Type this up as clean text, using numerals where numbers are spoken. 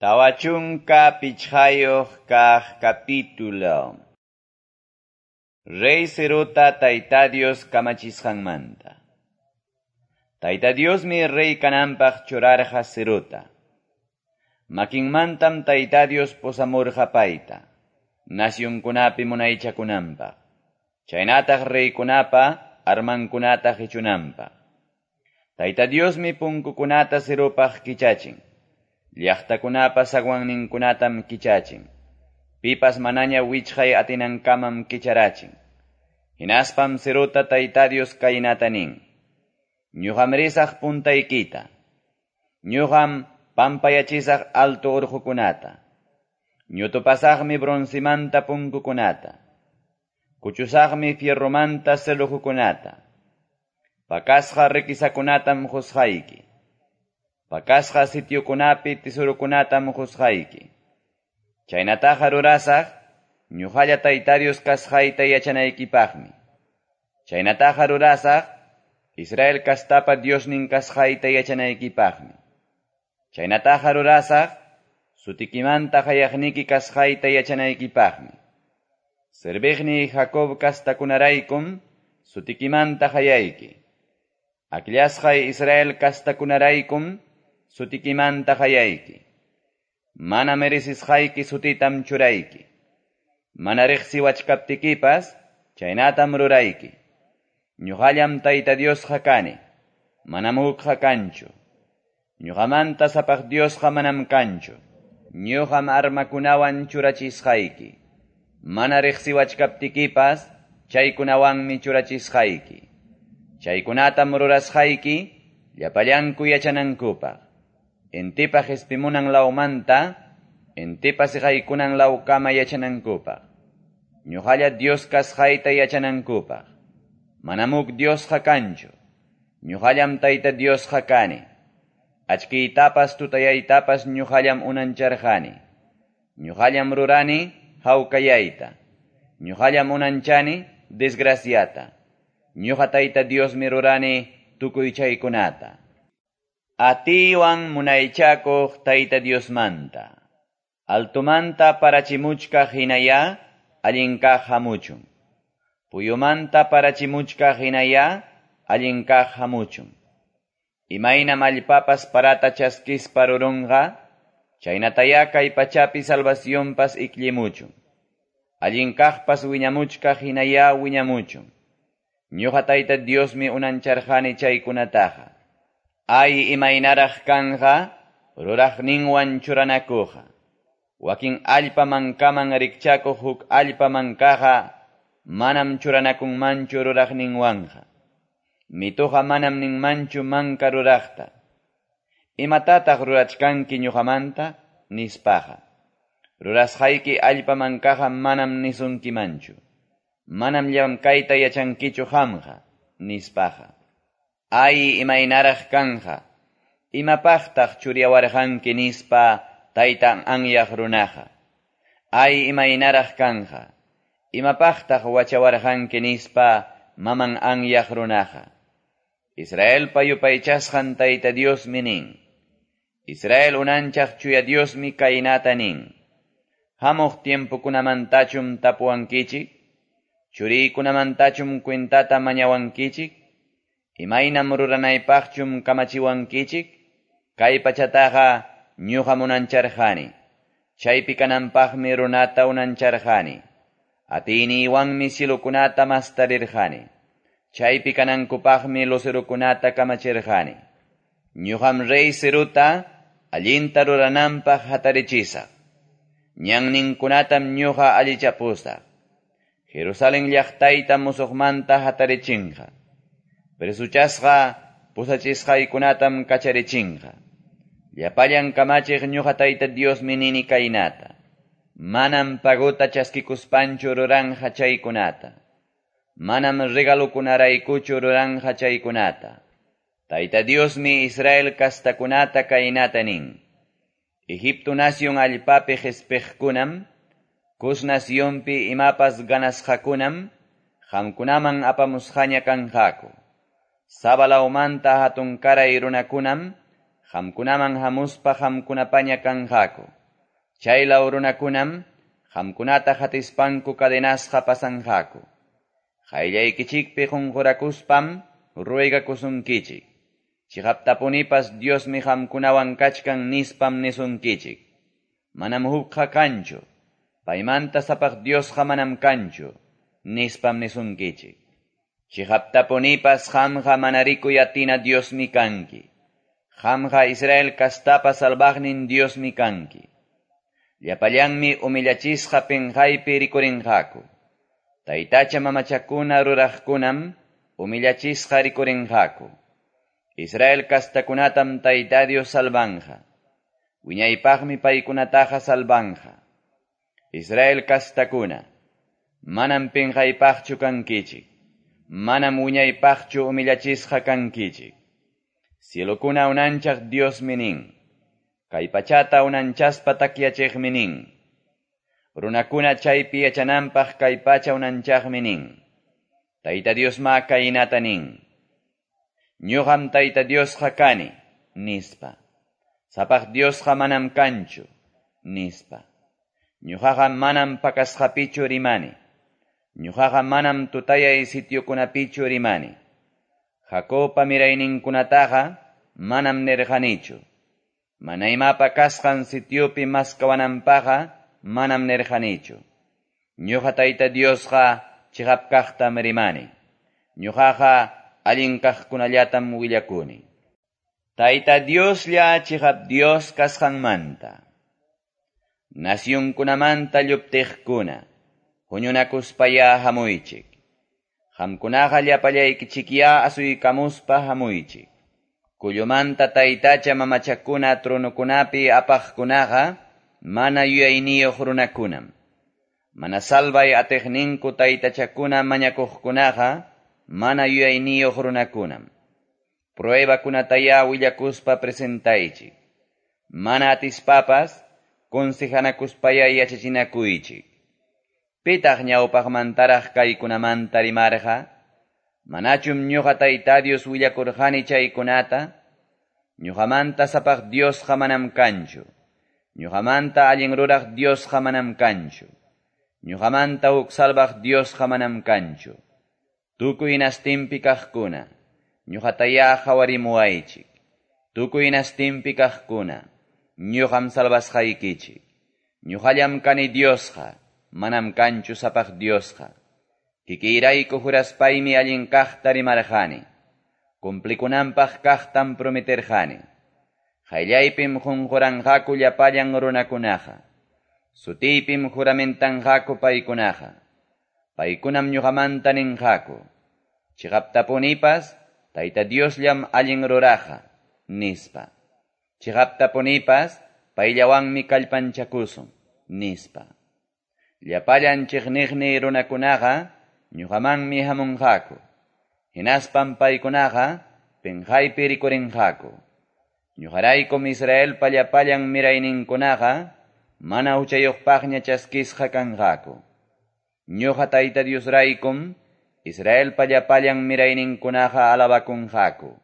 45 kaq capítulo. Rey Ciruta Tayta Dios kamachisqanmanta. Tayta Diosmi rey kananpaq churarqa Ciruta. Makinmantam Tayta Dios pusamurqa payta, nacionkunapi munaychakunanpaq. Chaynataq reykunapa armankunata qichunanpaq. Tayta Diosmi punkukunata Cirupaq kichachin. Llaqtakunapa zaguanninkunatam kichachin. Pipas manaña wichqay atinankamam kicharachin. Hinaspam Ciruta Tayta Dios kaynata nin: Ñuqam risaq puntaykita. Ñuqam pampayachisaq alto urqukunata. Ñutupasaqmi broncemanta punkukunata. Kuchusaqmi fierromanta cerrojokunata. Pakasqa riquezakunatam qusqayki. Pakasqa sitiokunapi tesorokunatam qusqayki. Chaynataqa rurasaq, ñuqalla Tayta Dios kasqayta yachanaykipaqmi. Chaynataqa rurasaq, Israel kastapa Diosnin kasqayta yachanaykipaqmi. Chaynataqa rurasaq, sutikimanta qayaqniki kasqayta yachanaykipaqmi. Serviqniy Jacob kastakunaraykum, sutikimanta qayayki. Akllasqay Israel kastakunaraykum, sutikimanta qayayki. Mana merecisqayki sutitam churayki. Mana riqsiwachkaptikipas, chaynatam rurayki. Ñuqallam Tayta Diosqa kani, manam hukqa kanchu. Ñuqamanta sapaq Diosqa manam kanchu. Ñuqam armakunawan churachisqayki. Mana riqsiwachkaptikipas, chaykunawanmi churachisqayki. Chaykunatam rurasqayki, llapallanku yachanankupaq. Intipa qispimunan lawmanta, intipa siqaykunan lawkama yachanankupaq. Ñuqalla Dios kasqayta yachanankupaq. Manam huk Diosqa kanchu. Ñuqallam Tayta Diosqa kani. Achkiytapas tutayaytapas ñuqallam unancharqani. Ñuqallam rurani hawkayayta. Ñuqallam unanchani desgraciata. Ñuqa Tayta Diosmi rurani tukuy chaykunata. Atiywan munaychakuq Tayta Diosmanta. Altomanta parachimuchkaq hinaya allin kaq hamuchun. Puyumanta parachimuchkaq hinaya allin kaq hamuchun. Imaynam allpapas parata chaskispa rurunqa, chaynataya kay pachapi salvacionpas ikllimuchun. Allin kaqpas wiñamuchkaq hinaya wiñamuchun. Ñuqa Tayta Diosmi unancharqani chaykunataqa. Ay imaynaraq kanja, ruraqninwan churanakuqa. Wakin allpa mankaman rikchakuq huk allpa mankaqa, manam churanakunmanchu ruraqninwanqa. Mituqa manam ninmanchu manka ruraqta. Imatataq rurachkanki ñuqamanta? Nispaqa. Rurasqayki allpa mankaqa manam nisunkimanchu. Manam llamkayta yachankichu qamqa, nispaqa. Ay imaynaraq kanja, imapaqtaq churiyawarqanki nispa taytan anyaq runaqa. Ay imaynaraq kanja, imapaqtaq wachawarqanki nispa maman anyaq runaqa. Israelpa yupaychasqan Tayta Diosmi nin. Israel unanchaq chuya Diosmi kaynata nin. Hamuq tiempokunamantachum tapuwankichik, churiykunamantachum cuentata mañawankichik, imaynam ruranaypaqchum kamachiwankichik, kay pachataqa ñuqam unancharqani. Chaypi kananpaqmi runata unancharqani. Atiyniywanmi cielokunata mastarirqani. Chaypi kanankupaqmi lucerokunata kamachirqani. Ñuqam rey Ciruta allinta rurananpaq hatarichisaq. Ñanninkunatam ñuqa allichapusaq. Jerusalén llaqtayta musuqmanta hatarichinqa. Presuchasqa pusachisqaykunatam kacharichinqa. Llapallan kamachiq ñuqa Tayta Diosmi nini kaynata. Manam pagota chaskikuspanchu ruranja chaykunata. Manam regalokunaraykuchu ruranja chaykunata. Tayta Diosmi Israel kastakunata kaynata nin. Egipto nación allpapi qispiqkunam, Cus nacionpi imapas ganasqakunam, qamkunaman apamusqaña kanqaku. Saba lawmanta hatunkaray runakunam, qamkunaman hamuspa qamkunapaña kanqaku. Chaylaw runakunam qamkunata qatispanku cadenasqa pasanqaku. Qayllaykichikpi qunqurakuspam ruegakusunkichik. Chiqaptapunipas Diosmi qamkunawan kachkan nispam nisunkichik. Manam hukqa kanchu, paymanta sapaq Diosqa manam kanchu, nispam nisunkichik. Chiqaptapunipas qamqa mana rikuy atina Diosmi kanki. Qamqa Israel kastapa salvaqnin Diosmi kanki. Llapallanmi humillachisqa pinqaypi rikurinqaku. Taytacha mamachakuna ruraqkunam humillachisqa rikurinqaku. Israel kastakunatam Tayta Dios salvanja. Wiñaypaqmi paykunataqa salvanja. Israel kastakuna, manam pinqaypaqchu kankichik. Manam wiñaypaqchu humillachisqa kankichik. Cielokuna unanchaq Diosmi nin. Kay pachata unanchaspa takyachiqmi nin. Runakuna chaypi yachananpaq kay pacha unanchaqmi nin. Tayta Diosma kaynata nin. Ñuqam Tayta Diosqa kani, nispa. Sapaq Diosqa manam kanchu, nispa. Ñuqaqa manam pakasqapichu rimani. Ñuqaqa manam tutayay sitiokunapichu rimani. Jacobpa mirayninkunataqa manam nirqanichu. Mana imapa kasqan sitiopi maskawananpaqqa manam nirqanichu. Ñuqa Tayta Diosqa chiqap kaqtam rimani. Ñuqaqa allin kaqkunallatam willakuni. Tayta Dioslla chiqap Dios kasqanmanta. Nacionkunamanta lluptiqkuna, huñunakuspaya hamuychik. Qamkunaqa llapallaykichikyá asuykamuspa hamuychik. Kullumanta taytacha mamachakuna tronokunapi apaqkunaqa mana yuyayniyuq runakunam. Mana salvay atiqninku taytachakuna mañakuqkunaqa mana yuyayniyuq runakunam. Pruebakunatayá willakuspa presentaychik. Mana atispapas consejanakuspaya yachachinakuychik. Pitaq ñawpaqmantaraq kaykunamanta rimarqa? Manachum ñuqa Tayta Dios willakurqani chaykunata? Ñuqamanta sapaq Diosqa manam kanchu. Ñuqamanta allin ruraq Diosqa manam kanchu. Ñuqamanta huk salvaq Diosqa manam kanchu. Tukuy nastinpi kaqkuna, ñuqatayá qhawarimuwaychik. Tukuy nastinpi kaqkuna, ñuqam salvasqaykichik. Ñuqallam kani Diosqa, manam kanchu sapaq Diosqa. Kikiyrayku juraspaymi allin kaqta rimarqani. Cumplikunanpaq kaqtam prometerqani. Qayllaypim qunquranqaku llapallan runakunaqa. Sutiypim juramentanqaku paykunaqa. Paykunam ñuqamanta ninqaku. Chiqaptapunipas Tayta Diosllam allin ruraqa, nispa. Chiqaptapunipas payllawanmi kallpanchakusun, nispa. Llapallan chiqniqni runakunaqa ñuqamanmi hamunqaku. Hinaspam paykunaqa pinqaypi rikurinqaku. Ñuqaraykum Israelpa llapallan mirayninkunaqa mana huchayuqpaqña chaskisqa kanqaku. Ñuqa Tayta Diosraykum Israelpa llapallan mirayninkunaqa alabakunqaku.